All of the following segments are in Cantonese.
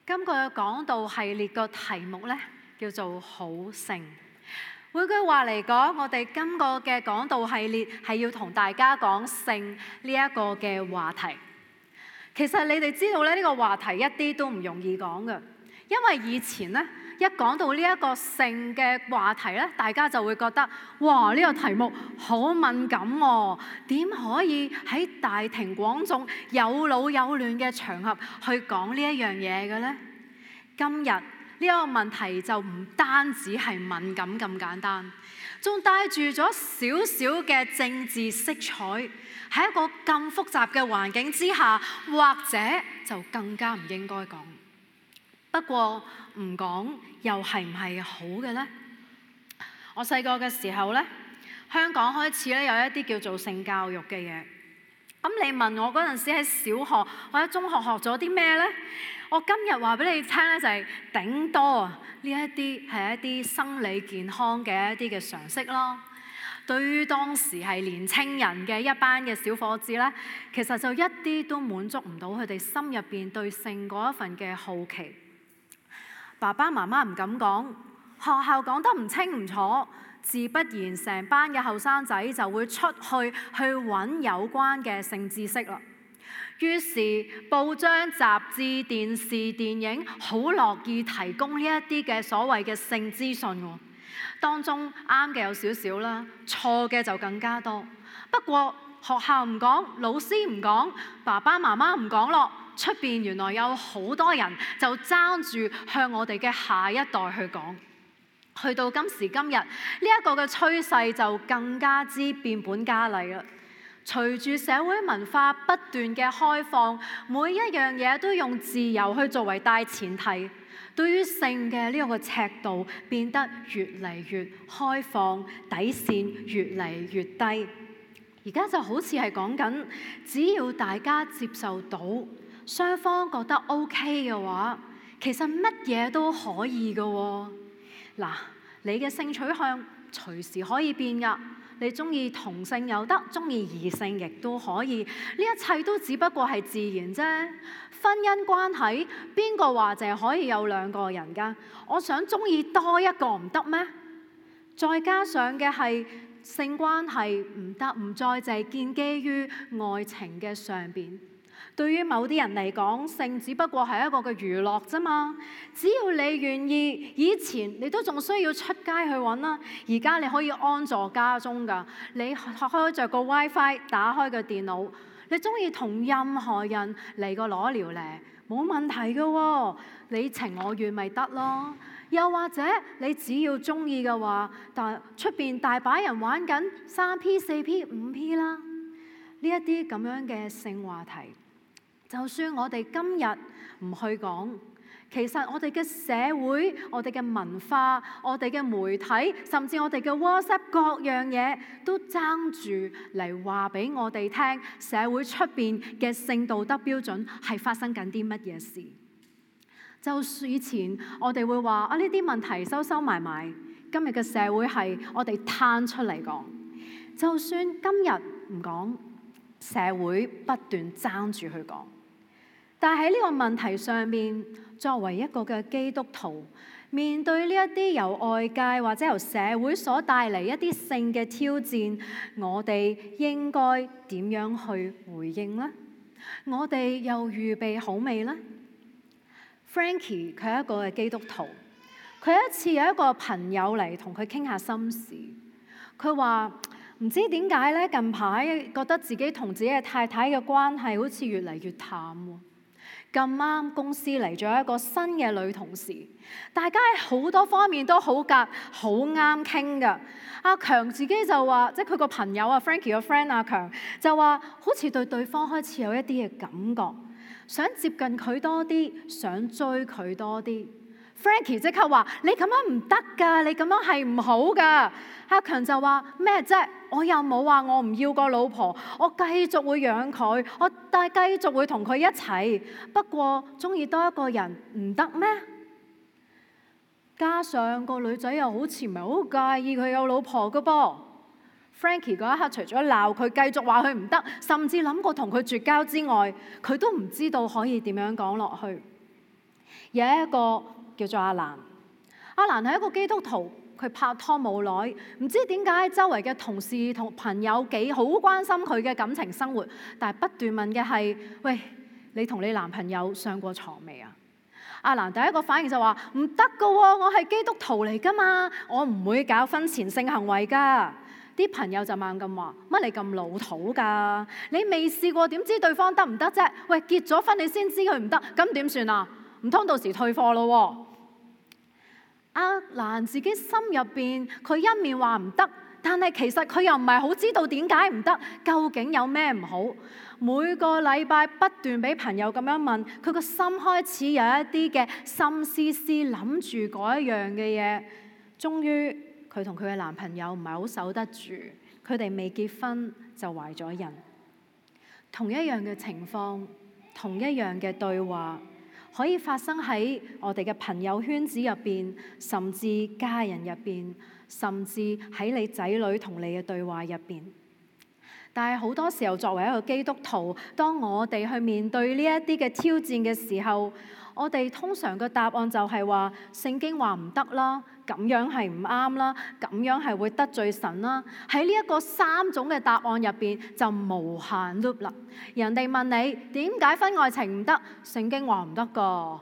今個嘅講道系列個題目呢，叫做好性。換句話嚟講，我哋今個嘅講道系列係要同大家講性呢一個嘅話題。其實你哋知道咧，呢個話題一啲都唔容易講嘅，因為以前呢，一講到呢一個性嘅話題咧，大家就會覺得哇，呢個題目好敏感喎，點可以喺大庭廣眾有老有嫩嘅場合去講呢一樣嘢嘅呢？今日呢一個問題就唔單止係敏感咁簡單，仲帶住咗少少嘅政治色彩。喺一個咁複雜嘅環境之下，或者就更加唔應該講。不過唔講又係唔係好嘅呢？我細個嘅時候呢，香港開始咧有一啲叫做性教育嘅嘢。咁你問我嗰陣時喺小學或者中學學咗啲咩呢？我今日話俾你聽咧，就係頂多啊呢一啲係一啲生理健康嘅一啲嘅常識咯。對於當時係年青人嘅一班嘅小伙子呢，其實就一啲都滿足唔到佢哋心入邊對性嗰一份嘅好奇。爸爸媽媽唔敢講，學校講得唔清唔楚，自不然成班嘅後生仔就會出去揾有關嘅性知識啦。於是報章、雜誌、電視、電影好樂意提供呢一啲嘅所謂嘅性資訊喎。當中啱嘅有少少啦，錯嘅就更加多。不過學校唔講，老師唔講，爸爸媽媽唔講咯，出邊原來有好多人就爭住向我哋嘅下一代去講。去到今時今日，呢一個嘅趨勢就更加之變本加厲啦。隨住社會文化不斷嘅開放，每一樣嘢都用自由去作為大前提。對於性嘅呢個尺度變得越嚟越開放，底線越嚟越低。而家就好似係講緊，只要大家接受到，雙方覺得 OK 嘅話，其實乜嘢都可以嘅喎。嗱，你嘅性取向隨時可以變㗎。你中意同性又得，中意異性亦都可以，呢一切都只不過係自然啫。婚姻關係邊個話淨係可以有兩個人㗎？我想中意多一個唔得咩？再加上嘅係性關係唔得，唔再淨係建基於愛情嘅上邊。對於某啲人嚟講，性只不過係一個嘅娛樂啫嘛。只要你願意，以前你都仲需要出街去揾啦，而家你可以安坐家中㗎。你開着個 WiFi， 打開個電腦，你中意同任何人嚟個裸聊咧，冇問題㗎喎。你情我願咪得咯。又或者你只要中意嘅話，但出邊大把人玩緊3P、4P、5P 啦。呢一啲咁樣嘅性話題。就算我哋今日唔去講，其實我哋嘅社會、我哋嘅文化、我哋嘅媒體，甚至我哋嘅 WhatsApp 各樣嘢，都爭住嚟話俾我哋聽，社會出邊嘅性道德標準係發生緊啲乜嘢事。就算以前我哋會話啊，呢啲問題收收埋埋，今日嘅社會係我哋攤出嚟講。就算今日唔講，社會不斷爭住去講。但係喺呢個問題上面，作為一個嘅基督徒，面對呢一啲由外界或者由社會所帶嚟一啲性嘅挑戰，我哋應該點樣去回應呢？我哋又預備好未呢？ Frankie 佢係一個嘅基督徒，佢有一次有一個朋友嚟同佢傾下心事，佢話唔知點解咧，近排覺得自己同自己嘅太太嘅關係好似越嚟越淡喎。咁啱公司嚟咗一個新嘅女同事，大家喺好多方面都好夾，好啱傾㗎。阿強自己就話，即係佢個朋友啊 Frankie 個 friend 阿強就話，好似對對方開始有一啲嘅感覺，想接近佢多啲，想追佢多啲。Frankie 即刻話：你咁樣唔得㗎，你咁樣係唔好㗎。阿強就話咩啫？我又冇話我唔要個老婆，我繼續會養佢，我繼續會同佢一齊。不過中意多一個人唔得咩？加上個女仔又好似唔係好介意佢有老婆㗎噃。Frankie 嗰一刻除咗鬧佢，繼續話佢唔得，甚至諗過同佢絕交之外，佢都唔知道可以點樣講落去。有一個叫做阿蘭，阿蘭係一個基督徒，佢拍拖冇耐，唔知點解周圍嘅同事同朋友幾好關心佢嘅感情生活，但係不斷問嘅係：喂，你同你男朋友上過床未啊？阿蘭第一個反應就話：唔得㗎喎，我係基督徒嚟㗎嘛，我唔會搞婚前性行為㗎。啲朋友就猛咁話：乜你咁老土㗎？你未試過點知對方得唔得啫？喂，結咗婚你先知佢唔得，咁點算啊？唔通到時退貨咯喎？阿蘭自己心入邊，佢一面話唔得，但係其實佢又唔係好知道點解唔得，究竟有咩唔好？每個禮拜不斷俾朋友咁樣問，佢個心開始有一啲嘅心思思諗住嗰一樣嘅嘢。終於佢同佢嘅男朋友唔係好守得住，佢哋未結婚就懷咗孕。同一樣嘅情況，同一樣嘅對話，可以發生喺我哋嘅朋友圈子入邊，甚至家人入邊，甚至喺你仔女同你嘅對話入邊。但係好多時候，作為一個基督徒，當我哋去面對呢一啲嘅挑戰嘅時候，我哋通常嘅答案就係話聖經話唔得啦，咁樣係唔啱啦，咁樣係會得罪神啦。喺呢一個三種嘅答案入邊就無限 loop 啦。人哋問你點解婚外情唔得，聖經話唔得㗎，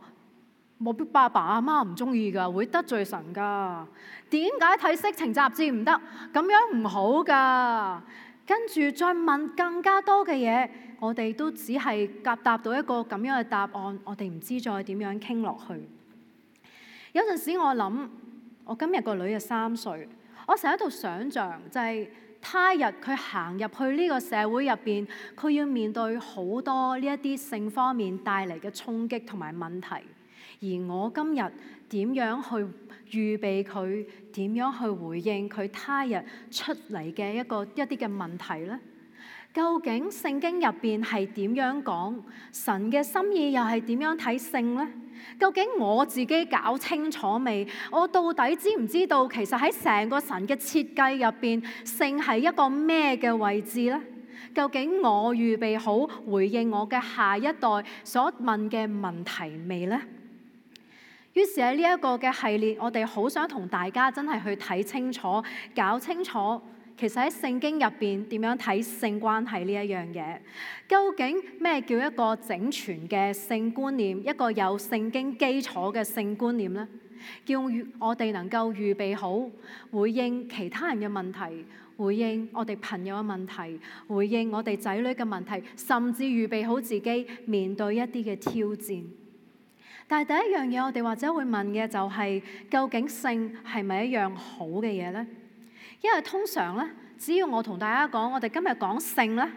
冇必爸爸阿媽唔中意㗎，會得罪神㗎。點解睇色情雜誌唔得，咁樣唔好㗎。跟住再問更加多嘅嘢，我哋都只係答到一個咁樣嘅答案，我哋唔知再點樣傾落去。有陣時我諗，我今日個女嘅3歲，我成日喺度想像就係他日佢行入去呢個社會入邊，佢要面對好多呢一啲性方面帶嚟嘅衝擊同埋問題，而我今日點樣去預備佢，點樣去回應佢他日出嚟嘅一啲嘅問題呢？究竟聖經入邊係點樣講？神嘅心意又係點樣睇性呢？究竟我自己搞清楚未？我到底知唔知道其實喺成個神嘅設計入邊，性係一個咩嘅位置呢？究竟我預備好回應我嘅下一代所問嘅問題未呢？於是喺呢一個嘅系列，我哋好想同大家真係去睇清楚、搞清楚，其實喺聖經入邊點樣睇性關係呢一樣嘢？究竟咩叫一個整全嘅性觀念，一個有聖經基礎嘅性觀念呢？叫我哋能夠預備好回應其他人嘅問題，回應我哋朋友嘅問題，回應我哋仔女嘅問題，甚至預備好自己面對一啲嘅挑戰。但係第一樣嘢，我哋或者會問嘅就係，究竟性係咪一樣好嘅嘢呢？因為通常咧，只要我同大家講，我哋今日講性咧，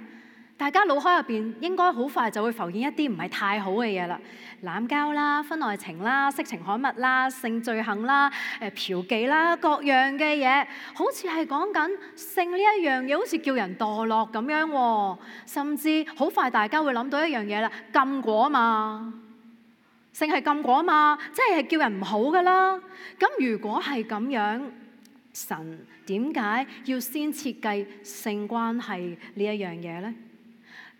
大家腦海入邊應該好快就會浮現一啲唔係太好嘅嘢啦，濫交啦、婚外情啦、色情刊物啦、性罪行啦、嫖妓啦，各樣嘅嘢，好似係講緊性呢一樣嘢，好似叫人墮落咁樣喎。甚至好快大家會諗到一樣嘢啦，禁果啊嘛。性係禁果啊嘛，即係叫人唔好噶啦。咁如果係咁樣，神點解要先設計性關係呢一樣嘢呢？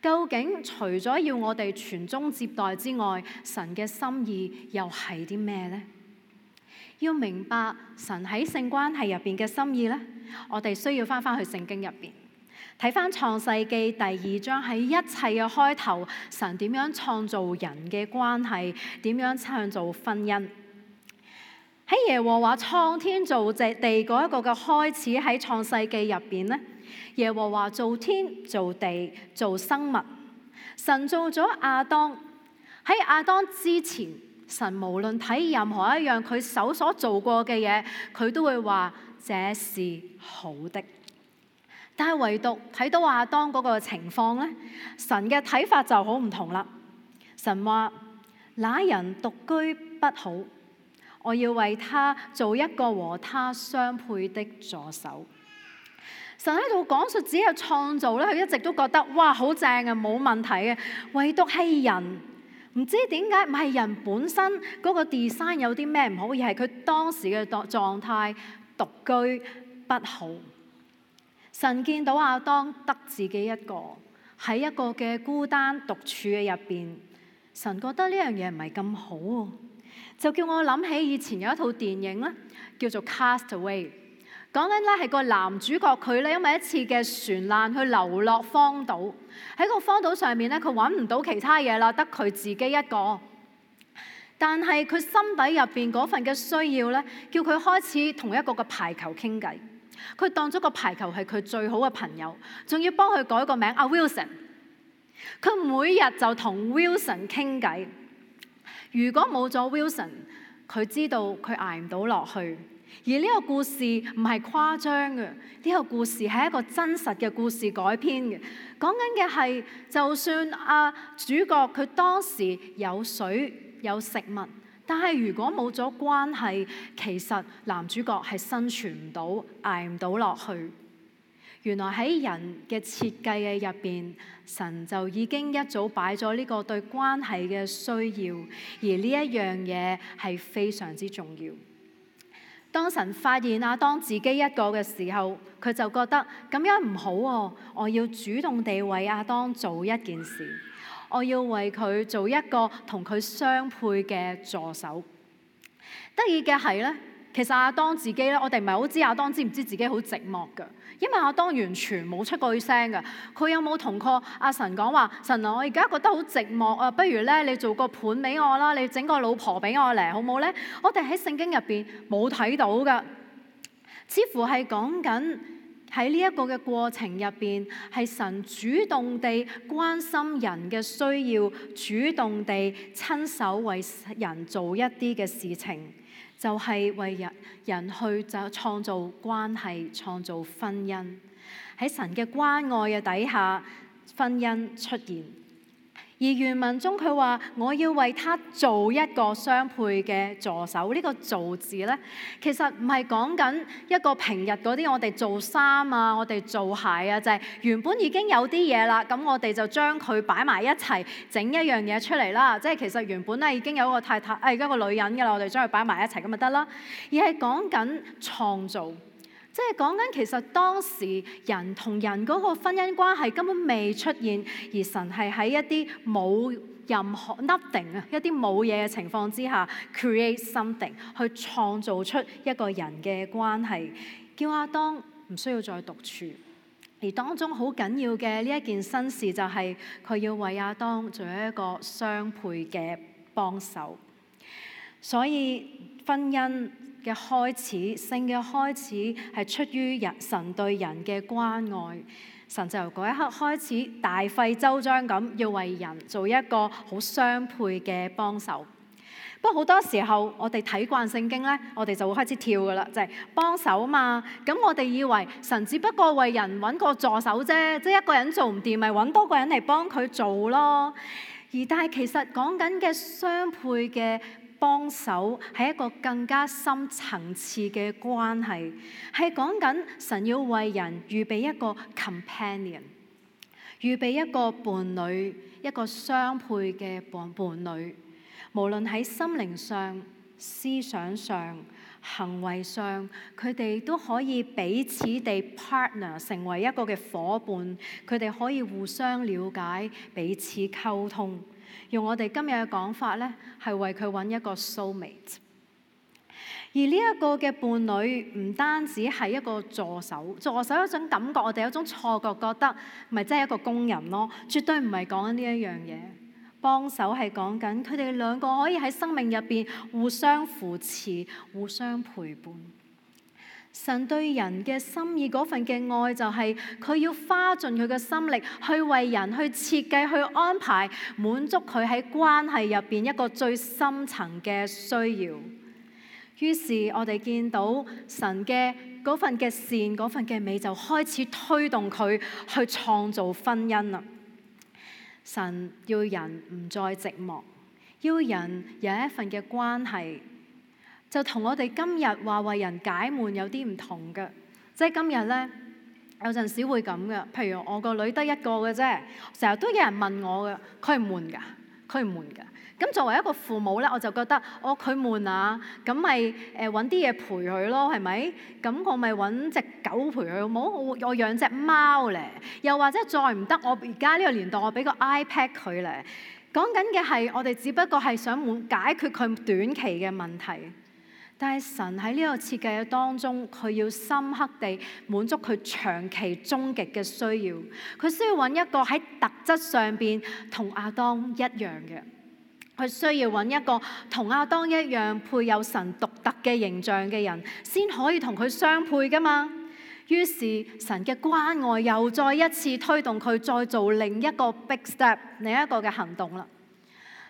究竟除咗要我哋傳宗接代之外，神嘅心意又係啲咩呢？要明白神喺性關係入邊嘅心意呢，我哋需要翻去聖經入邊。睇翻創世記第2章，喺一切嘅開頭，神點樣創造人嘅關係，點樣創造婚姻。喺耶和華創天造地嗰一個嘅開始，喺創世記入邊呢，耶和華造天造地造生物，神造咗亞當。喺亞當之前，神無論睇任何一樣佢手所做過嘅嘢，佢都會話這是好的。但係唯獨睇到亞當嗰個情況咧，神嘅睇法就好唔同啦。神話那人獨居不好，我要為他做一個和他相配的助手。神喺度講述自己嘅創造咧，佢一直都覺得哇好正啊，冇問題嘅。唯獨係人，唔知點解唔係人本身嗰個 design 有啲咩唔好，而係佢當時嘅狀態獨居不好。神見到亞當得自己一個喺一個嘅孤單獨處嘅入邊，神覺得呢樣嘢唔係咁好喎。就叫我諗起以前有一套電影咧，叫做《Castaway》，講緊咧係個男主角佢咧因為一次嘅船難去流落荒島，喺個荒島上面咧佢揾唔到其他嘢啦，得佢自己一個。但係佢心底入邊嗰份嘅需要咧，叫佢開始同一個嘅排球傾偈。佢當咗個排球係佢最好嘅朋友，仲要幫佢改個名阿 Wilson。佢每日就同 Wilson 傾偈。如果冇咗 Wilson， 佢知道佢捱唔到落去。而呢個故事唔係誇張嘅，呢個故事係一個真實嘅故事改編嘅。講緊嘅係，就算主角佢當時有水有食物，但係如果冇咗關係，其實男主角係生存唔到，捱唔到落去。原來喺人嘅設計嘅入邊，神就已經一早擺咗呢個對關係嘅需要，而呢一樣嘢係非常之重要。當神發現亞當自己一個嘅時候，佢就覺得咁樣唔好喎，我要主動地為亞當做一件事，我要為佢做一個同佢相配嘅助手。得意嘅係咧，其實亞當自己咧，我哋唔係好知亞當知唔知自己好寂寞㗎，因為亞當完全冇出過聲㗎。佢有冇同過阿神講話？神啊，我而家覺得好寂寞啊，不如咧你做個伴俾我啦，你整個老婆俾我嚟，好唔好咧？我哋喺聖經入邊冇睇到㗎，似乎係講緊喺呢一個嘅過程入邊，係神主動地關心人嘅需要，主動地親手為人做一啲嘅事情。就係為人去就創造關係，創造婚姻。喺神嘅關愛嘅底下，婚姻出現。而原文中佢話：我要為他做一個相配嘅助手。呢個做字咧，其實唔係講緊一個平日嗰啲我哋做衫啊，我哋做鞋啊，就係原本已經有啲嘢啦，咁我哋就將佢擺埋一齊，整一樣嘢出嚟啦。即係其實原本咧已經有一個太太，一個女人㗎啦，我哋將佢擺埋一齊咁就得啦。而係講緊創造。即係講緊其實當時人同人嗰個婚姻關係根本未出現，而神係喺一啲冇任何 nothing 啊，一啲冇嘢嘅情況之下 create something 去創造出一個人嘅關係，叫亞當唔需要再獨處。而當中好緊要嘅呢一件新事就係佢要為亞當做一個相配嘅幫手。所以婚姻嘅開始，性嘅開始係出於神對人嘅關愛。神就由嗰一刻開始大費周章咁要為人做一個好相配嘅幫手。不過好多時候我哋睇慣聖經咧，我哋就會開始跳噶啦，就係幫手嘛。咁我哋以為神只不過為人揾個助手啫，即係一個人做唔掂，咪揾多個人嚟幫佢做咯。但係其實講緊嘅相配嘅幫手係一個更加深層次嘅關係，係講緊神要為人預備一個 companion， 預備一個伴侶，一個相配嘅伴侶。無論喺心靈上、思想上、行為上，佢哋都可以彼此地 partner， 成為一個嘅夥伴。佢哋可以互相了解、彼此溝通。用我哋今日嘅講法咧，係為佢揾一個 soulmate。而呢一個嘅伴侶唔單止係一個助手，助手有一種感覺，我哋有一種錯覺，覺得咪真係一個工人咯，絕對唔係講緊呢一樣嘢。幫手係講緊佢哋兩個可以喺生命入邊互相扶持、互相陪伴。神對人嘅心意嗰份嘅愛就係佢要花盡佢嘅心力去為人去設計、去安排，滿足佢喺關係入邊一個最深層嘅需要。於是我哋見到神嘅嗰份嘅善、嗰份嘅美就開始推動佢去創造婚姻啦。神要人唔再寂寞，要人有一份嘅關係。就同我哋今日話為人解悶有啲唔同嘅，即係今日咧有陣時會咁嘅。譬如我個女得一個嘅啫，成日都有人問我嘅，佢唔悶㗎，佢唔悶㗎。咁作為一個父母咧，我就覺得佢悶啊，咁咪揾啲嘢陪佢咯，係咪？咁我咪揾隻狗陪佢好冇？我養隻貓咧，又或者再唔得，我而家呢個年代我俾個 iPad 佢咧。講緊嘅係我哋只不過係想解決佢短期嘅問題。但係神喺呢個設計嘅當中，佢要深刻地滿足佢長期終極嘅需要。佢需要揾一個喺特質上邊同亞當一樣嘅，佢需要揾一個同亞當一樣配有神獨特嘅形象嘅人，先可以同佢相配噶嘛。於是神嘅關愛又再一次推動佢再做另一個 big step， 另一個嘅行動啦。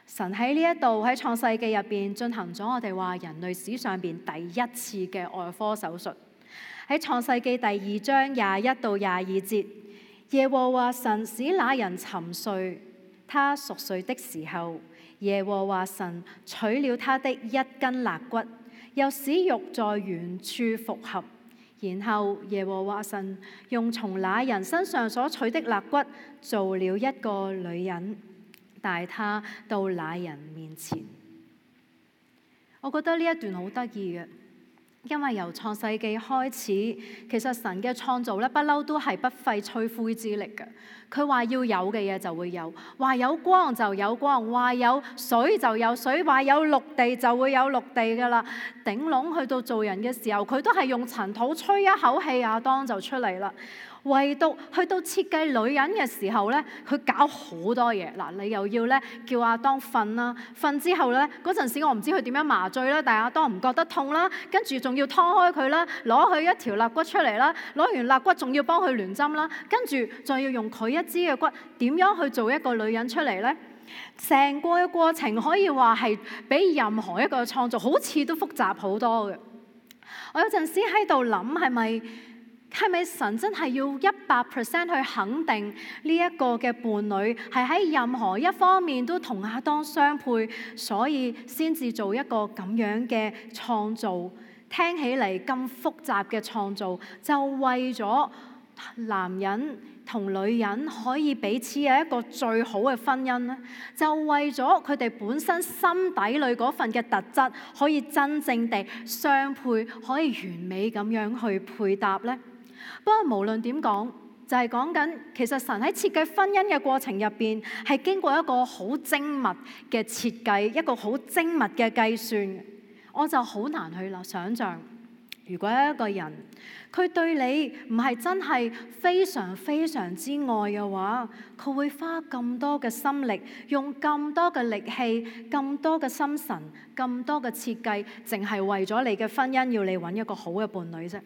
神喺呢一度喺創世記入邊進行咗我哋話人類史上邊第一次嘅外科手術。喺創世記第2章21到22節，耶和華神使那人沉睡，他熟睡的時候，耶和華神取了他的一根肋骨，又使肉在原處復合。然後耶和華神用從那人身上所取的肋骨做了一個女人，帶他到那人面前。我覺得呢一段好得意嘅，因為由創世記開始，其實神嘅創造咧不嬲都係不費吹灰之力嘅。佢話要有嘅嘢就會有，話有光就有光，話有水就有水，話有陸地就會有陸地噶啦。頂籠去到做人嘅時候，佢都係用塵土吹一口氣，亞當就出嚟啦。唯獨去到設計女人嘅時候咧，佢搞好多嘢。嗱，你又要咧叫亞當瞓啦，瞓之後咧嗰陣時我唔知佢點樣麻醉啦，但係亞當唔覺得痛啦，跟住仲要劏開佢啦，攞佢一條肋骨出嚟啦，攞完肋骨仲要幫佢聯針啦，跟住再要用佢一支嘅骨點樣去做一個女人出嚟咧？成個嘅過程可以話係比任何一個創造好似都複雜好多嘅。我有陣時喺度諗係咪神真係要100% 去肯定呢一個嘅伴侶係喺任何一方面都同亞當相配，所以先至做一個咁樣嘅創造？聽起嚟咁複雜嘅創造，就為咗男人同女人可以彼此有一個最好嘅婚姻咧，就為咗佢哋本身心底裏嗰份嘅特質可以真正地相配，可以完美咁樣去配搭咧。不過無論點講，就係講緊其實神喺設計婚姻嘅過程入邊，係經過一個好精密嘅設計，一個好精密嘅計算。我就好難去想像，如果一個人佢對你唔係真係非常非常之愛嘅話，佢會花咁多嘅心力，用咁多嘅力氣，咁多嘅心神，咁多嘅設計，淨係為咗你嘅婚姻，要你揾一個好嘅伴侶啫。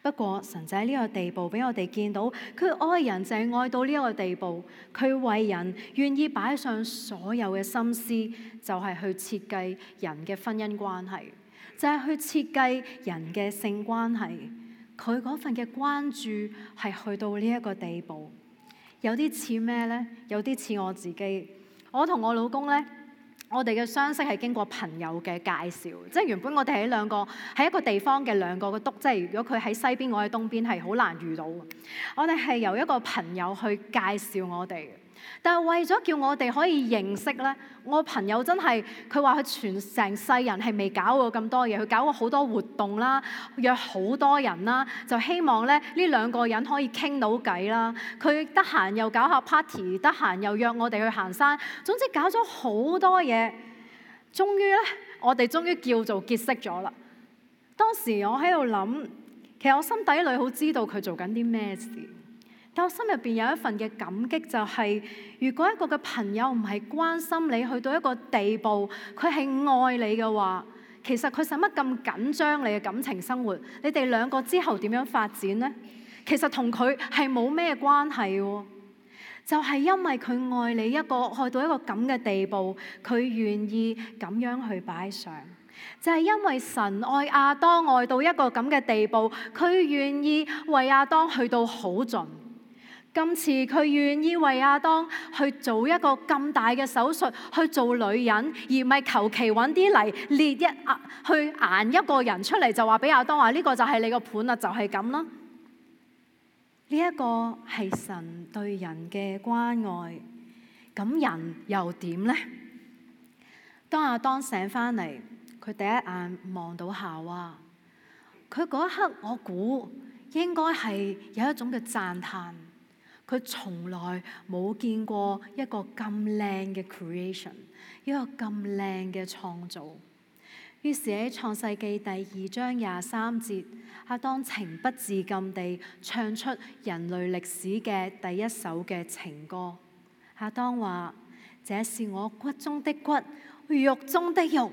不過神就喺呢個地步俾我哋見到，佢愛人就係愛到呢一個地步，佢為人願意擺上所有嘅心思，就係去設計人嘅婚姻關係，就係去設計人嘅性關係。佢嗰份嘅關注係去到呢一個地步，有啲似咩呢？有啲似我自己，我同我老公呢。我哋嘅相識係經過朋友嘅介紹，即係原本我哋喺一個地方嘅兩個嘅督，即係如果佢喺西邊，我喺東邊，係好難遇到嘅。我哋係由一個朋友去介紹我哋，但係為咗叫我哋可以認識咧，我朋友真係佢話佢全成世人係未搞過咁多嘢，佢搞過好多活動啦，約好多人啦，就希望咧呢兩個人可以傾到偈啦。佢得閒又搞下 party， 得閒又約我哋去行山，總之搞咗好多嘢。終於咧，我哋終於叫做結識咗啦。當時我喺度諗，其實我心底裏好知道佢做緊啲咩事，但我心入邊有一份嘅感激，就係如果一個嘅朋友唔係關心你去到一個地步，佢係愛你嘅話，其實佢使乜咁緊張你嘅感情生活？你哋兩個之後點樣發展呢？其實同佢係冇咩關係喎。就係因為佢愛你去到一個咁嘅地步，佢願意咁樣去擺上。就係因為神愛亞當愛到一個咁嘅地步，佢願意為亞當去到好盡。今次佢願意為亞當去做一個咁大嘅手術，去做女人，而唔係求其揾啲泥列去揀一個人出嚟，就話俾亞當話呢個就係你個伴啦，就係咁啦。呢一個係神對人嘅關愛，咁人又點呢？當亞當醒返嚟，佢第一眼望到夏娃，佢嗰一刻我估應該係有一種嘅讚嘆。佢從來冇見過一個咁靚嘅 creation， 一個咁靚嘅創造。於是喺創世記第2章23節，亞當情不自禁地唱出人類歷史嘅第一首嘅情歌。亞當話：這是我骨中的骨，肉中的肉，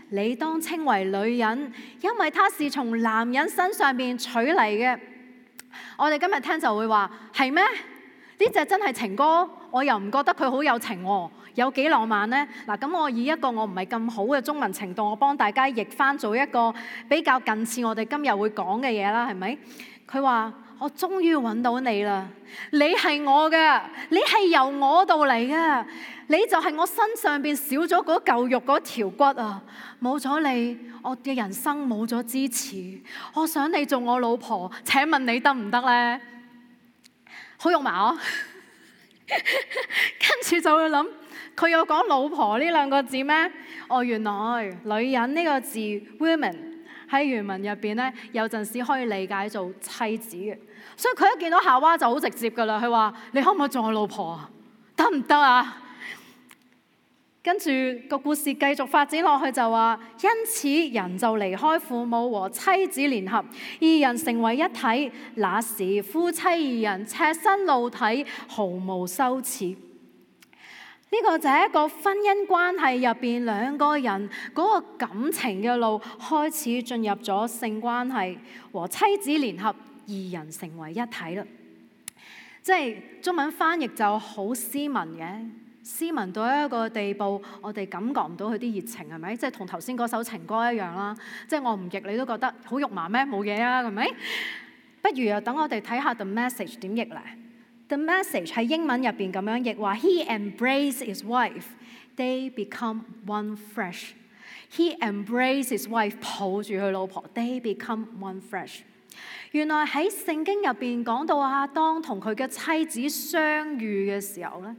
你當稱為女人，因為她是從男人身上面取嚟嘅。我哋今日聽就會話：係咩？呢隻真係情歌，我又唔覺得佢好有情喎，有幾浪漫呢？嗱，咁我以一個我唔係咁好嘅中文程度，我幫大家譯翻做一個比較近似我哋今日會講嘅嘢啦，係咪？佢話：我終於揾到你啦！你係我嘅，你係由我度嚟嘅，你就係我身上邊少咗嗰嚿肉嗰條骨啊！冇咗你，我嘅人生冇咗支持。我想你做我老婆，請問你得唔得呢？好肉麻啊！跟住就會諗，佢有講老婆呢兩個字咩？哦，原來女人呢個字 women 喺原文入邊咧，有陣時可以理解做妻子嘅。所以佢一見到夏娃就好直接噶啦，佢話：你可唔可以做我老婆啊？得唔得啊？跟住個故事繼續發展落去就話，因此人就離開父母和妻子聯合，二人成為一體。那時夫妻二人赤身露體，毫無羞恥。呢個就係一個婚姻關係入邊兩個人嗰個感情嘅路開始進入咗性關係，和妻子聯合，二人成為一體啦。即係中文翻譯就好斯文嘅。斯文到一個地步，我哋感覺唔到佢啲熱情，係咪？即係同頭先嗰首情歌一樣啦。即係我唔譯你都覺得好肉麻咩？冇嘢啊，係咪？不如啊，等我哋睇下 The Message 點譯咧。The Message 喺英文入邊咁樣譯話 ：He embraced his wife, they become one flesh. He embraced his wife， 抱住佢老婆 ，they become one flesh。原來喺聖經入邊講到亞當同佢嘅妻子相遇嘅時候咧，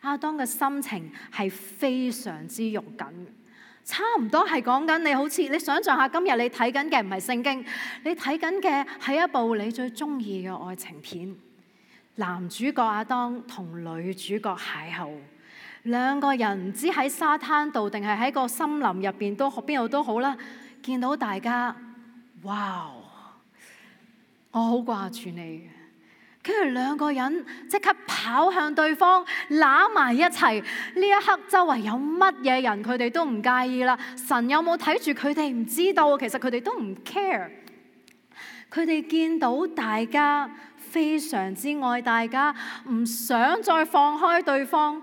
亞當嘅心情係非常之肉緊，差唔多係講緊你好似你想象下，今日你睇緊嘅唔係聖經，你睇緊嘅係一部你最中意嘅愛情片。男主角亞當同女主角邂逅，兩個人唔知喺沙灘度定係喺個森林入邊都邊度都好啦，見到大家，哇！我好掛住你。跟住兩個人即刻跑向對方，攬埋一齊。呢一刻周圍有乜嘢人，佢哋都唔介意啦。神有冇睇住佢哋唔知道，其實佢哋都唔 care。佢哋見到大家非常之愛大家，唔想再放開對方。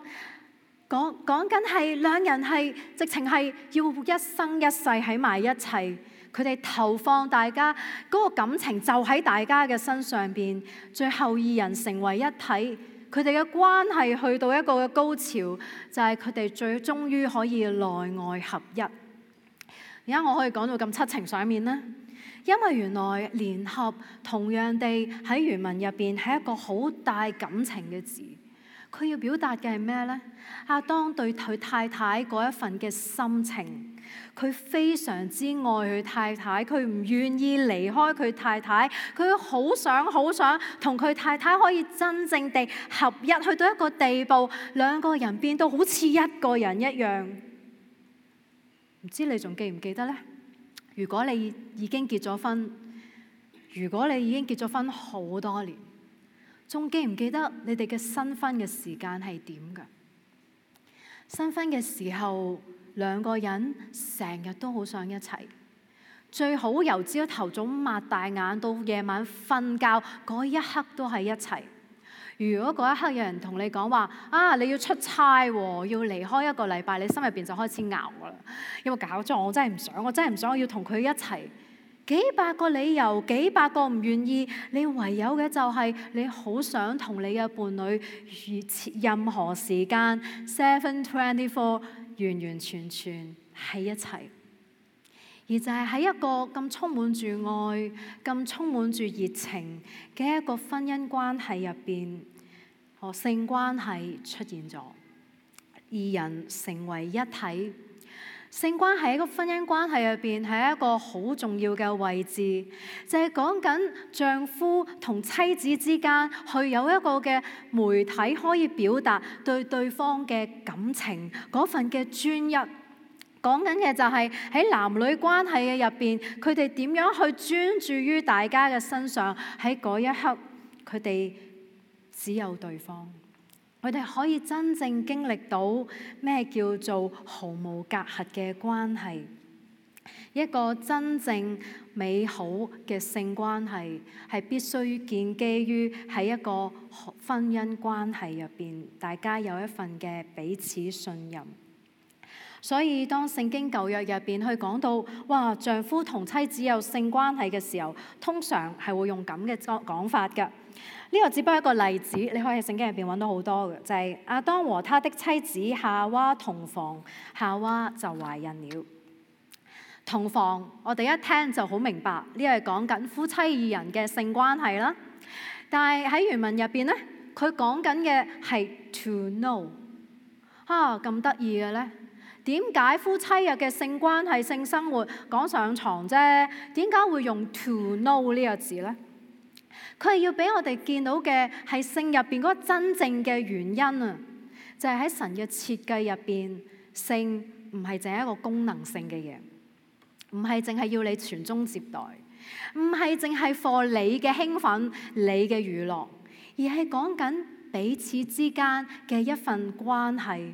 講緊係兩人係直情係要一生一世喺埋一齊。佢哋投放大家嗰個感情就喺大家嘅身上邊，最後二人成為一體。佢哋嘅關係去到一個嘅高潮，就係佢哋最終於可以內外合一。而家我可以講到咁七情上面呢？因為原來聯合同樣地喺原文入邊係一個好大感情嘅字。佢要表達嘅係咩呢？亞當對佢太太嗰一份嘅心情，佢非常之愛佢太太，佢唔願意離開佢太太，佢好想同佢太太可以真正地合一，去到一個地步，兩個人變到好似一個人一樣。唔知你仲記唔記得呢？如果你已經結咗婚，好多年，仲記唔記得你哋嘅新婚嘅時間係點㗎？新婚嘅時候，兩個人成日都好想一齊，最好由朝頭早擘大眼到夜晚瞓覺嗰一刻都係一齊。如果嗰一刻有人同你講話你要出差喎，要離開1個禮拜，你心入邊就開始熬㗎啦。有冇搞錯？我真係唔想，我要同佢一齊。幾百個理由，幾百個唔願意，你唯有嘅就係你好想同你嘅伴侶任何時間 7/24完完全全喺一齊。而就係喺一個咁充滿住愛、咁充滿住熱情嘅一個婚姻關係入邊，性關係出現咗，二人成為一體。性關係喺個婚姻關係入邊係一個好重要嘅位置，就係講緊丈夫同妻子之間去有一個嘅媒體可以表達對對方嘅感情嗰份嘅專一。講緊嘅就係喺男女關係嘅入邊，佢哋點樣去專注於大家嘅身上，喺嗰一刻佢哋只有對方。佢哋可以真正經歷到咩叫做毫無隔閡嘅關係，一個真正美好嘅性關係係必須建基於喺一個婚姻關係入邊，大家有一份嘅彼此信任。所以當聖經舊約入邊去講到，哇，丈夫同妻子有性關係嘅時候，通常係會用咁嘅講法㗎。呢個只不過一個例子，你可以喺聖經入邊揾到好多嘅，就係亞當和他的妻子夏娃同房，夏娃就懷孕了。同房，我哋一聽就好明白，呢個係講緊夫妻二人嘅性關係啦。但係喺原文入邊呢，佢講緊嘅係 to know。咁得意嘅呢？點解夫妻日嘅性關係、性生活講上床啫？點解會用 to know 呢個字呢？佢係要俾我哋見到嘅係性入邊嗰個真正嘅原因啊！就係喺神嘅設計入邊，性唔係淨係一個功能性嘅嘢，唔係淨係要你傳宗接代，唔係淨係 for 你嘅興奮、你嘅娛樂，而係講緊彼此之間嘅一份關係。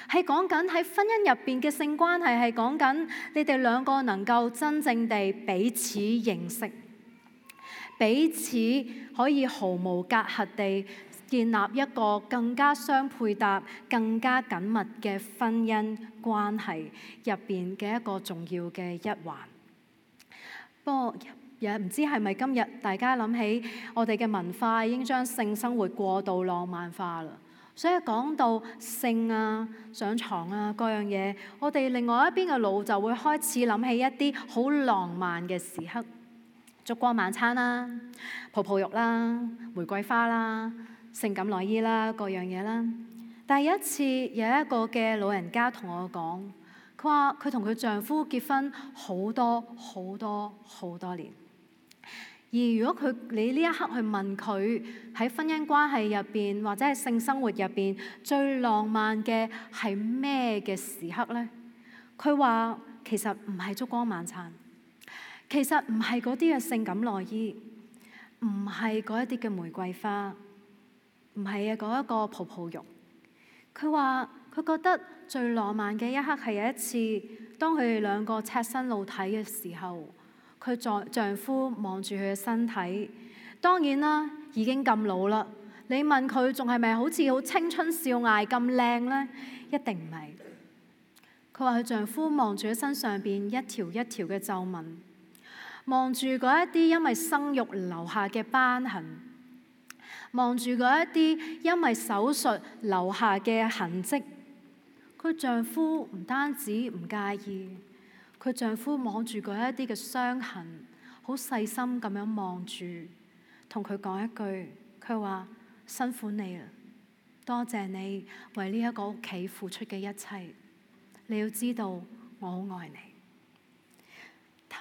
係講緊喺婚姻入邊嘅性關係，係講緊你哋兩個能夠真正地彼此認識，彼此可以毫無隔閡地建立一個更加相配搭、更加緊密嘅婚姻關係入邊嘅一個重要嘅一環。不過也唔知係咪今日大家諗起我哋嘅文化已經將性生活過度浪漫化啦。所以講到性啊、上床啊各樣嘢，我哋另外一邊嘅腦就會開始諗起一啲好浪漫嘅時刻，燭光晚餐啦、泡泡浴啦、玫瑰花啦、性感內衣啦各樣嘢啦。但係有一次有一個嘅老人家同我講，佢話佢同佢丈夫結婚好多年。而如果你呢一刻去問佢喺婚姻關係入邊或者係性生活入邊最浪漫嘅係咩嘅時刻呢？佢話其實唔係燭光晚餐，其實唔係嗰啲嘅性感內衣，唔係嗰一啲嘅玫瑰花，唔係嗰一個泡泡浴。佢話佢覺得最浪漫嘅一刻係有一次，當佢哋兩個赤身露體嘅時候。佢丈夫望住佢嘅身體，當然啦，已經咁老啦。你問佢仲係咪好似好青春少艾咁靚呢？一定唔係。佢話佢丈夫望住佢身上邊一條一條嘅皺紋，望住嗰一啲因為生育留下嘅斑痕，望住嗰一啲因為手術留下嘅痕跡。佢丈夫唔單止唔介意。佢丈夫望住嗰一啲嘅傷痕，好細心咁樣望住，同佢講一句，佢話辛苦你啦，多謝你為呢一個屋企付出嘅一切。你要知道，我好愛你。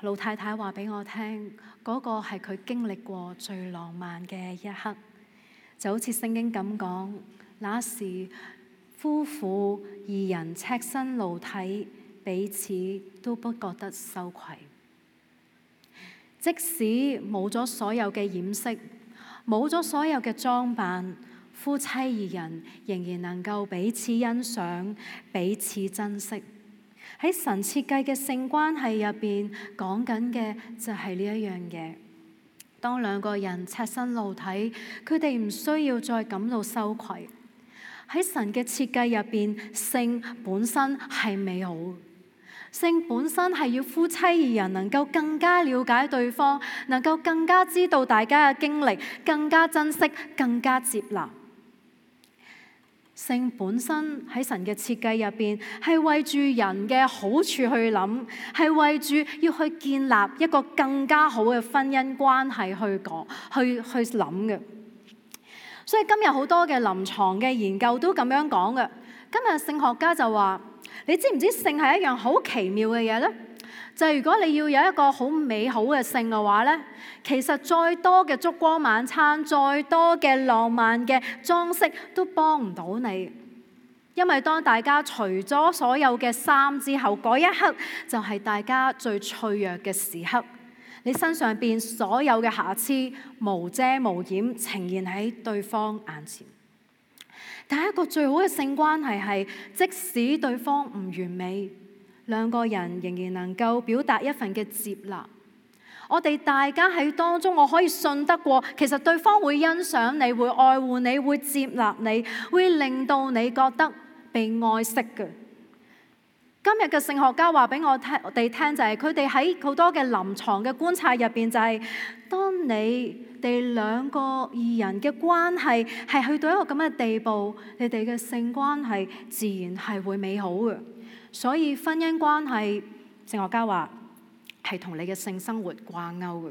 老太太話俾我聽，嗰個係佢經歷過最浪漫嘅一刻，就好似聖經咁講，那時夫婦二人赤身露體。彼此都不覺得羞愧，即使冇咗所有嘅掩飾，冇咗所有嘅裝扮，夫妻二人仍然能夠彼此欣賞、彼此珍惜。喺神設計嘅性關係入邊，講緊嘅就係呢一樣嘢。當兩個人赤身露體，佢哋唔需要再感到羞愧。喺神嘅設計入邊，性本身係美好。性本身係要夫妻二人能夠更加了解對方，能夠更加知道大家嘅經歷，更加珍惜，更加接納。性本身喺神嘅設計入邊，係為住人嘅好處去諗，係為住要去建立一個更加好嘅婚姻關係去諗嘅。所以今日好多嘅臨床嘅研究都咁樣講嘅。今日聖學家就話：你知唔知性係一樣好奇妙嘅嘢呢？就係如果你要有一個好美好嘅性嘅話呢，其實再多嘅燭光晚餐，再多嘅浪漫嘅裝飾都幫唔到你。因為當大家除咗所有嘅衫之後，嗰一刻就係大家最脆弱嘅時刻。你身上邊所有嘅瑕疵無遮無掩呈現喺對方眼前。但係一個最好嘅性關係係，即使對方唔完美，兩個人仍然能夠表達一份嘅接納。我哋大家喺當中，我可以信得過，其實對方會欣賞你，會愛護你，會接納你，會令到你覺得被愛惜嘅。今日嘅聖學家話俾我哋聽，就係佢哋喺好多嘅臨床嘅觀察入邊，就係當你哋兩個二人嘅關係係去到一個咁嘅地步，你哋嘅性關係自然係會美好嘅。所以婚姻關係，聖學家話係同你嘅性生活掛鈎嘅。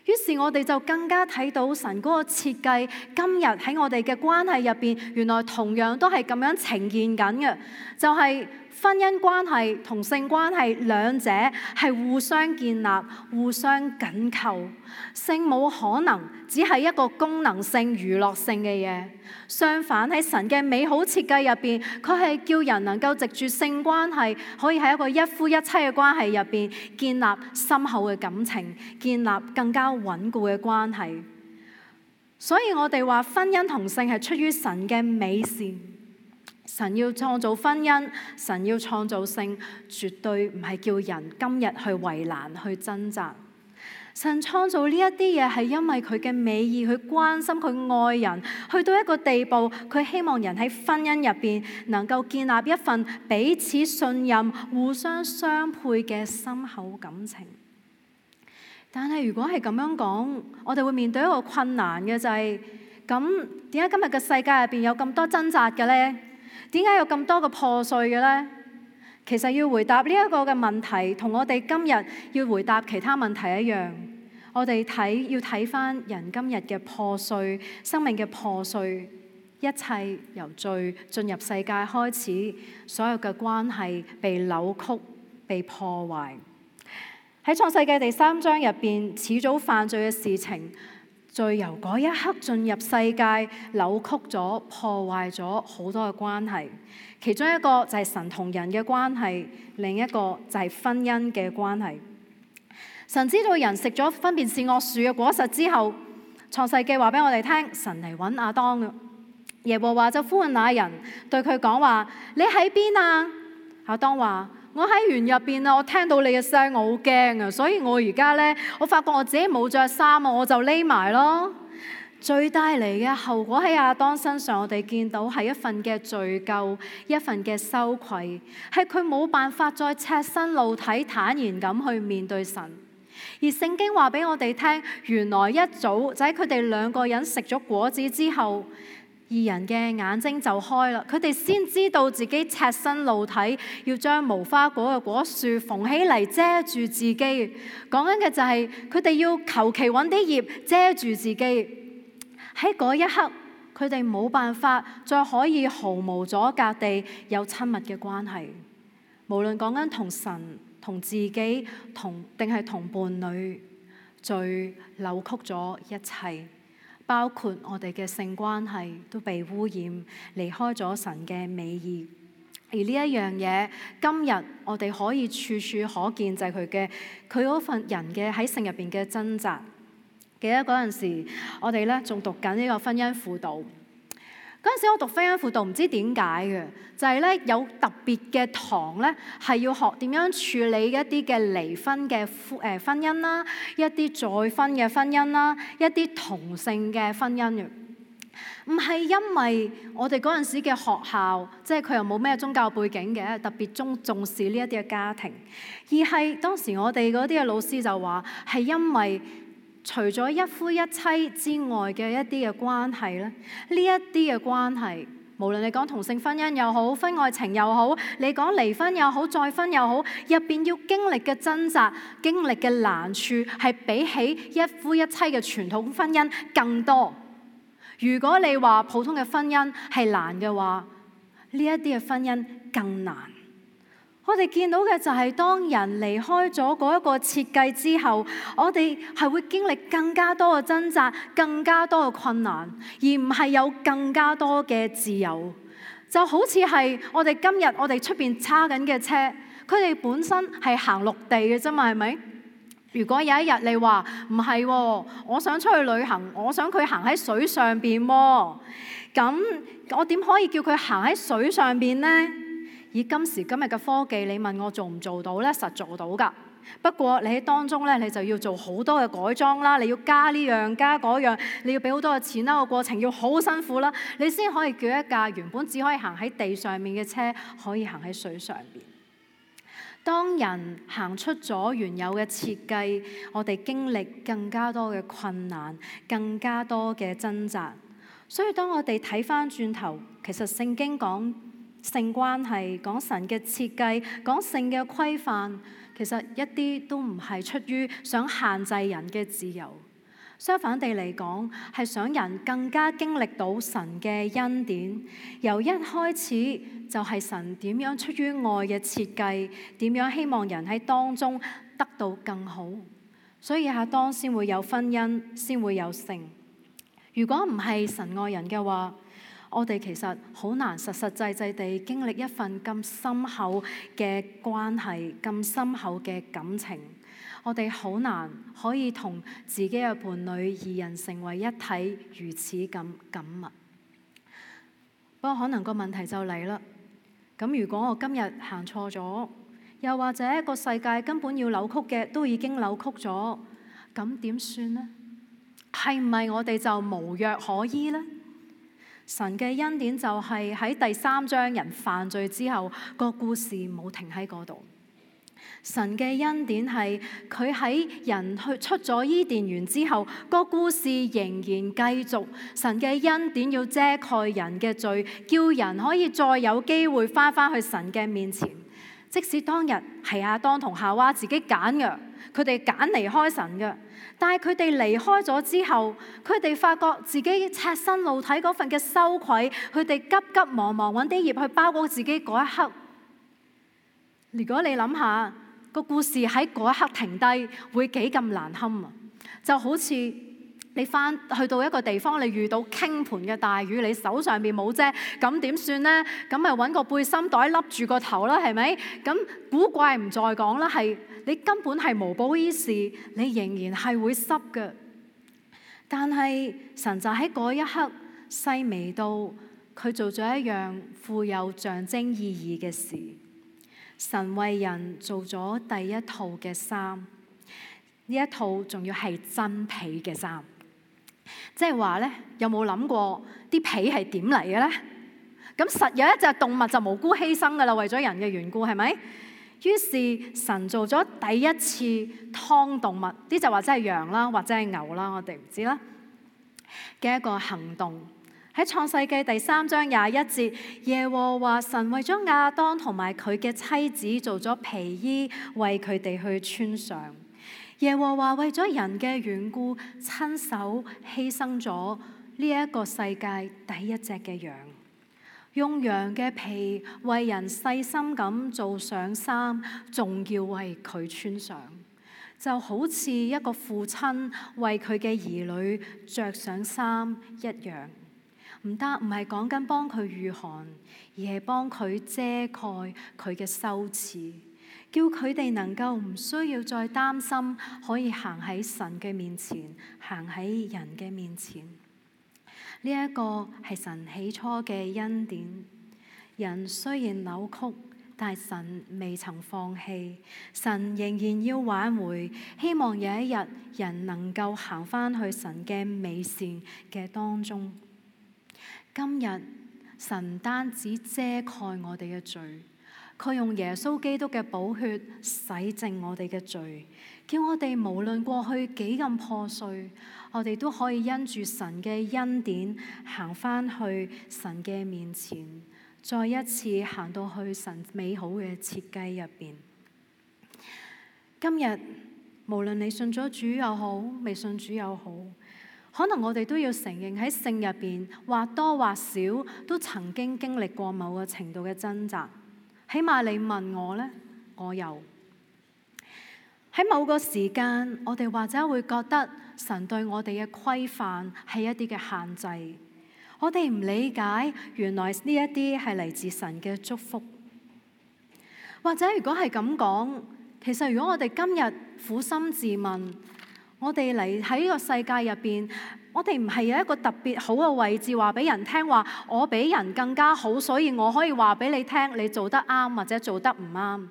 於是我哋就更加睇到神嗰個設計，今日喺我哋嘅關係入邊，原來同樣都係咁樣呈現緊嘅，就係婚姻關係同性關係兩者係互相建立、互相緊扣。性冇可能只係一個功能性、娛樂性嘅嘢，相反喺神嘅美好設計入邊，佢係叫人能夠藉住性關係，可以喺一個一夫一妻嘅關係入邊建立深厚嘅感情，建立更加穩固嘅關係。所以我哋話婚姻同性係出於神嘅美善。神要創造婚姻，神要創造性，絕對唔係叫人今日去為難、去掙扎。神創造呢一啲嘢係因為佢嘅美意，佢關心、佢愛人，去到一個地步，佢希望人喺婚姻入邊能夠建立一份彼此信任、互相相配嘅深厚感情。但係如果係咁樣講，我哋會面對一個困難嘅就係，咁點解今日嘅世界入邊有咁多掙扎嘅呢？點解有咁多嘅破碎嘅呢？其實要回答呢一個嘅問題，同我哋今日要回答其他問題一樣。我哋要睇返人今日嘅破碎，生命嘅破碎，一切由罪進入世界開始，所有嘅關係被扭曲、被破壞。喺創世紀第3章入邊，始祖犯罪嘅事情，罪由嗰一刻進入世界，扭曲咗、破壞咗好多嘅關係。其中一個就係神同人嘅關係，另一個就係婚姻嘅關係。神知道人食咗分辨善惡樹嘅果實之後，創世記話俾我哋聽，神嚟揾亞當嘅。耶和華就呼喚那人，對佢講話：你喺邊啊？亞當話：我喺園入邊啊！我聽到你嘅聲，我好驚啊！所以我而家呢，我發覺我自己冇着衫啊，我就匿埋咯。罪帶嚟嘅後果喺亞當身上，我哋見到係一份嘅罪疚，一份嘅羞愧，係佢冇辦法再赤身露體坦然咁去面對神。而聖經話俾我哋聽，原來一早就喺佢哋兩個人食咗果子之後，二人嘅眼睛就開啦，佢哋先知道自己赤身露體，要將無花果嘅果樹縫起嚟遮住自己。講緊嘅就係佢哋要求其揾啲葉遮住自己。喺嗰一刻，佢哋冇辦法再可以毫無阻隔地有親密嘅關係。無論講緊同神、同自己、定係同伴侶，罪扭曲咗一切。包括我哋嘅性關係都被污染，離開咗神嘅美意。而呢一樣嘢，今日我哋可以處處可見，就係佢嗰份人嘅喺性入邊嘅掙扎。記得嗰陣時，我哋咧仲讀緊呢個婚姻輔導。嗰陣時我讀婚姻輔導，唔知點解嘅，就係咧有特別嘅堂咧，係要學點樣處理一啲嘅離婚嘅婚姻啦，一啲再婚嘅婚姻啦，一啲同性嘅婚姻嘅。唔係因為我哋嗰陣時嘅學校，即係佢又冇咩宗教背景嘅，特別重視呢一啲嘅家庭，而係當時我哋嗰啲嘅老師就話，係因為除咗一夫一妻之外嘅一啲嘅關係咧，呢一啲嘅關係，無論你講同性婚姻又好，婚外情又好，你講離婚又好，再婚又好，入邊要經歷嘅掙扎、經歷嘅難處，係比起一夫一妻嘅傳統婚姻更多。如果你話普通嘅婚姻係難嘅話，呢一啲嘅婚姻更難。我哋見到嘅就係當人離開咗嗰一個設計之後，我哋係會經歷更加多嘅掙扎，更加多嘅困難，而唔係有更加多嘅自由。就好似係我哋今日我哋出邊揸緊嘅車，佢哋本身係行陸地嘅啫嘛，係咪？如果有一日你話唔係喎，我想出去旅行，我想佢行喺水上邊喎，咁我點可以叫佢行喺水上邊呢？以今時今日嘅科技，你問我做唔做到呢？實做到㗎。不過你喺當中呢，你就要做好多嘅改裝啦，你要加呢樣加嗰樣，你要俾好多嘅錢啦，個過程要好辛苦啦，你先可以叫一架原本只可以行喺地上面嘅車，可以行喺水上邊。當人行出咗原有嘅設計，我哋經歷更加多嘅困難，更加多嘅掙扎。所以當我哋睇返轉頭，其實聖經講性關係，講神嘅設計，講性嘅規範，其實一啲都唔係出於想限制人嘅自由。相反地嚟講，係想人更加經歷到神嘅恩典。由一開始就係神點樣出於愛嘅設計，點樣希望人喺當中得到更好。所以亞當先會有婚姻，先會有性。如果唔係神愛人嘅話，我哋其實好難實實際際地經歷一份咁深厚嘅關係，咁深厚嘅感情。我哋好難可以同自己嘅伴侶二人成為一體，如此咁緊密。不過可能個問題就嚟啦。咁如果我今日行錯咗，又或者個世界根本要扭曲嘅都已經扭曲咗，咁點算呢？係唔係我哋就無藥可醫呢？神嘅恩典就係喺第3章人犯罪之後，個故事冇停喺嗰度。神嘅恩典係佢喺人去出咗伊甸園之後，個故事仍然繼續。神嘅恩典要遮蓋人嘅罪，叫人可以再有機會返去神嘅面前。即使當日係亞當同夏娃自己揀嘅，佢哋揀離開神嘅，但係佢哋離開咗之後，佢哋發覺自己赤身露體嗰份嘅羞愧，佢哋急急忙忙揾啲葉去包裹自己嗰一刻。如果你諗下個故事喺嗰一刻停低，會幾咁難堪啊！就好似你去到一個地方，你遇到傾盆嘅大雨，你手上邊冇遮，咁點算呢？咁咪揾個背心袋笠住個頭啦，係咪？咁古怪唔再講啦，係你根本係無補於事，你仍然係會濕嘅。但係神就喺嗰一刻細微到佢做咗一樣富有象徵意義嘅事。神為人做咗第一套嘅衫，呢一套仲要係真皮嘅衫。即係話咧，有冇諗過啲皮係點嚟嘅咧？咁實有一隻動物就無辜犧牲噶啦，為咗人嘅緣故，係咪？於是神做咗第一次劏動物，啲就或者係羊啦，或者係牛啦，我哋唔知啦嘅一個行動。喺創世記第3章21節，耶和華神為咗亞當同埋佢嘅妻子做咗皮衣，為佢哋去穿上。耶和華為咗人嘅緣故，親手犧牲咗呢一個世界第一隻嘅羊，用羊嘅皮為人細心咁做上衫，仲要為佢穿上，就好似一個父親為佢嘅兒女着上衫一樣。唔係講緊幫佢御寒，而係幫佢遮蓋佢嘅羞恥，叫佢哋能夠唔需要再擔心，可以行喺神嘅面前，行喺人嘅面前。呢一個係神起初嘅恩典。人雖然扭曲，但係神未曾放棄，神仍然要挽回，希望有一日人能夠行返去神嘅美善嘅當中。今日神唔單止遮蓋我哋嘅罪，佢用耶穌基督嘅寶血洗淨我哋嘅罪，叫我哋無論過去幾咁破碎，我哋都可以因住神嘅恩典行返去神嘅面前，再一次行到去神美好嘅設計入邊。今日無論你信咗主又好，未信主又好，可能我哋都要承認喺性入邊或多或少都曾經經歷過某個程度嘅掙扎。起碼你問我呢，我有。喺某個時間，我哋或者會覺得神對我哋嘅規範係一啲嘅限制，我哋唔理解原來呢一啲係嚟自神嘅祝福。或者如果係咁講，其實如果我哋今日苦心自問，我哋嚟喺呢個世界入邊，我哋唔係有一個特別好嘅位置話俾人聽話，我比人更加好，所以我可以話俾你聽，你做得啱或者做得唔啱，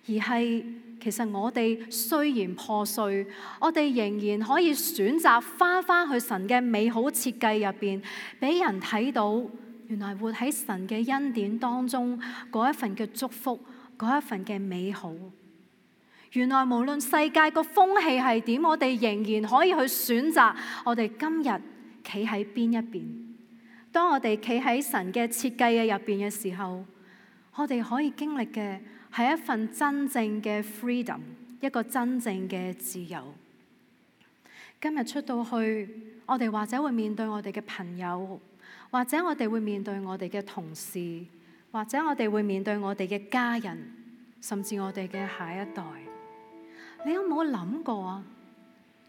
而係其實我哋雖然破碎，我哋仍然可以選擇返去神嘅美好設計入邊，俾人睇到原來活喺神嘅恩典當中嗰一份嘅祝福，嗰一份嘅美好。原來無論世界個風氣係點，我哋仍然可以去選擇我哋今日企喺邊一邊。當我哋企喺神嘅設計嘅入邊嘅時候，我哋可以經歷嘅係一份真正嘅 freedom， 一個真正嘅自由。今日出到去，我哋或者會面對我哋嘅朋友，或者我哋會面對我哋嘅同事，或者我哋會面對我哋嘅家人，甚至我哋嘅下一代。你有冇諗過啊？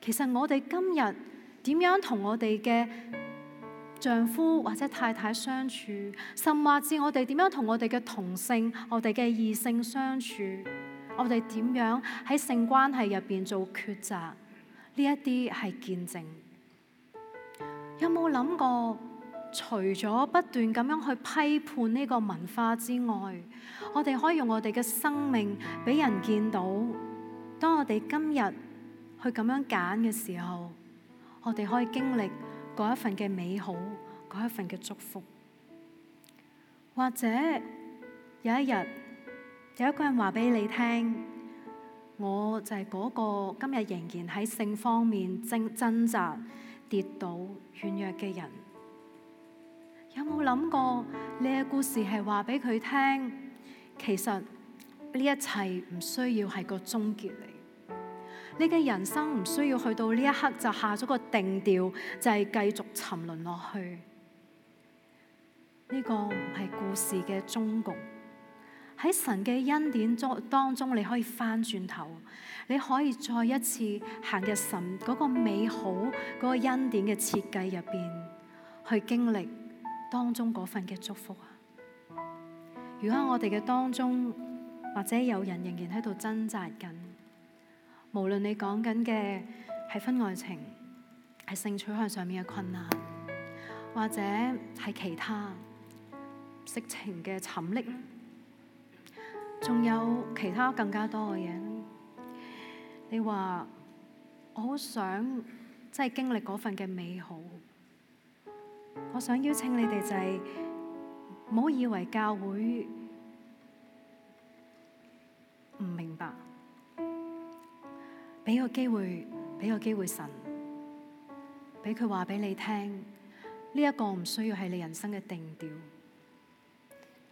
其實我哋今日點樣同我哋嘅丈夫或者太太相處，甚至我哋點樣同我哋嘅同性、我哋嘅異性相處，我哋點樣喺性關係入邊做抉擇，呢一啲係見證。有冇諗過，除咗不斷咁樣去批判呢個文化之外，我哋可以用我哋嘅生命俾人見到。當我哋今日去咁樣揀嘅時候，我哋可以經歷嗰一份嘅美好，嗰一份嘅祝福。或者有一日有一個人話俾你聽，我就係嗰個今日仍然喺性方面掙扎、跌倒、軟弱嘅人。有冇諗過你嘅故事係話俾佢聽，其實呢一切唔需要係個終結嚟。你嘅人生唔需要去到呢一刻就下咗個定調，就係繼續沉淪落去。呢個唔係故事嘅終局。喺神嘅恩典當中，你可以翻轉頭，你可以再一次行入神嗰個美好嗰個恩典嘅設計入邊，去經歷當中嗰份嘅祝福啊！如果我哋嘅當中，或者有人仍然喺度掙扎緊，無論你講緊嘅係婚外情，係性取向上面嘅困難，或者係其他色情嘅沉溺，仲有其他更加多嘅嘢，你話我好想即係經歷嗰份嘅美好，我想邀請你哋就係唔好以為教會唔明白。俾個機會神，俾佢話俾你聽，呢一個唔需要係你人生嘅定調。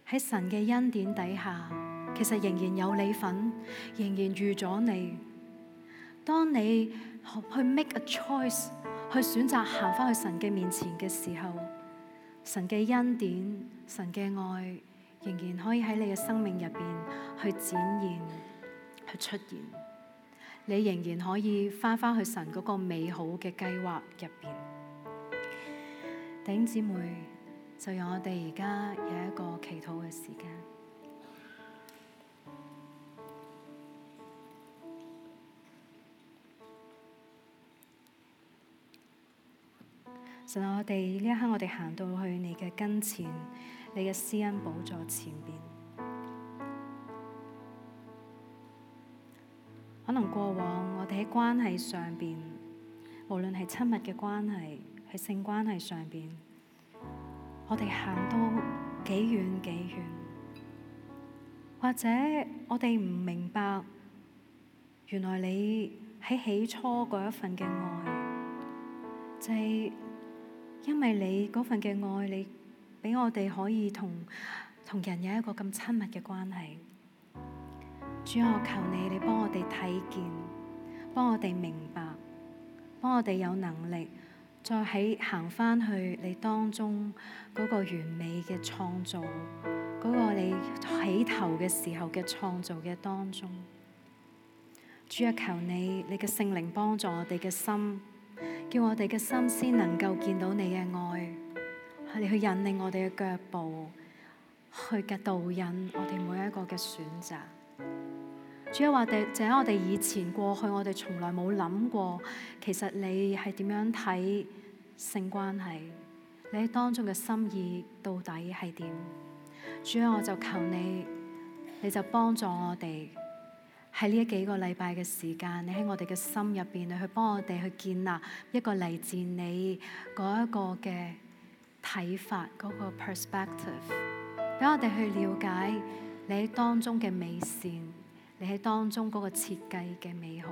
喺神嘅恩典底下，其實仍然有你份，仍然預咗你。當你去 make a choice， 去選擇行返去神嘅面前嘅時候，神嘅恩典、神嘅愛，仍然可以喺你嘅生命入邊去展現、去出現。你仍然可以返去神嗰個美好嘅計劃入邊。弟兄姊妹，就讓我哋而家有一個祈禱嘅時間。神啊，我哋呢一刻我哋行到去你嘅跟前，你嘅施恩寶座前邊。可能過往我哋喺關係上邊，無論係親密嘅關係，喺性關係上邊，我哋行到幾遠幾遠，或者我哋唔明白，原來你喺起初嗰一份嘅愛，就係因為你嗰份嘅愛，你俾我哋可以同人有一個咁親密嘅關係。主啊，我求你幫我哋睇見，幫我哋明白，幫我哋有能力再行翻去你當中嗰個完美嘅創造，嗰個你起頭嘅時候嘅創造嘅當中。主啊，求你嘅聖靈幫助我哋嘅心，叫我哋嘅心先能夠見到你嘅愛，你去引領我哋嘅腳步，去導引我哋每一個嘅選擇。主啊，就喺我哋以前過去，我哋從來冇諗過，其實你係點樣睇性關係？你喺當中嘅心意到底係點？主啊，我就求你，你就幫助我哋喺呢幾個禮拜嘅時間，你喺我哋嘅心入邊，你去幫我哋去建立一個嚟自你嗰一個嘅睇法，嗰個 perspective， 俾我哋去了解你喺當中嘅美善，你喺當中嗰個設計嘅美好。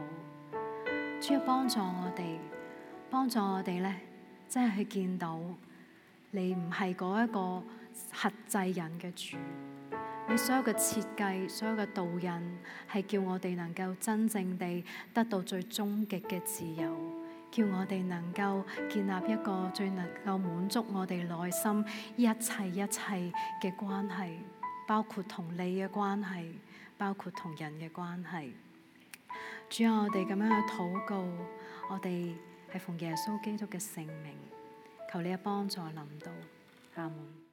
主要幫助我哋咧，真係去見到你唔係嗰一個轄制人嘅主。你所有嘅設計，所有嘅導引，係叫我哋能夠真正地得到最終極嘅自由，叫我哋能夠建立一個最能夠滿足我哋內心一切嘅關係，包括同你嘅關係，包括同人嘅關係。主啊，我哋咁樣去禱告，我哋係奉耶穌基督嘅聖名，求你嘅幫助臨到，阿門。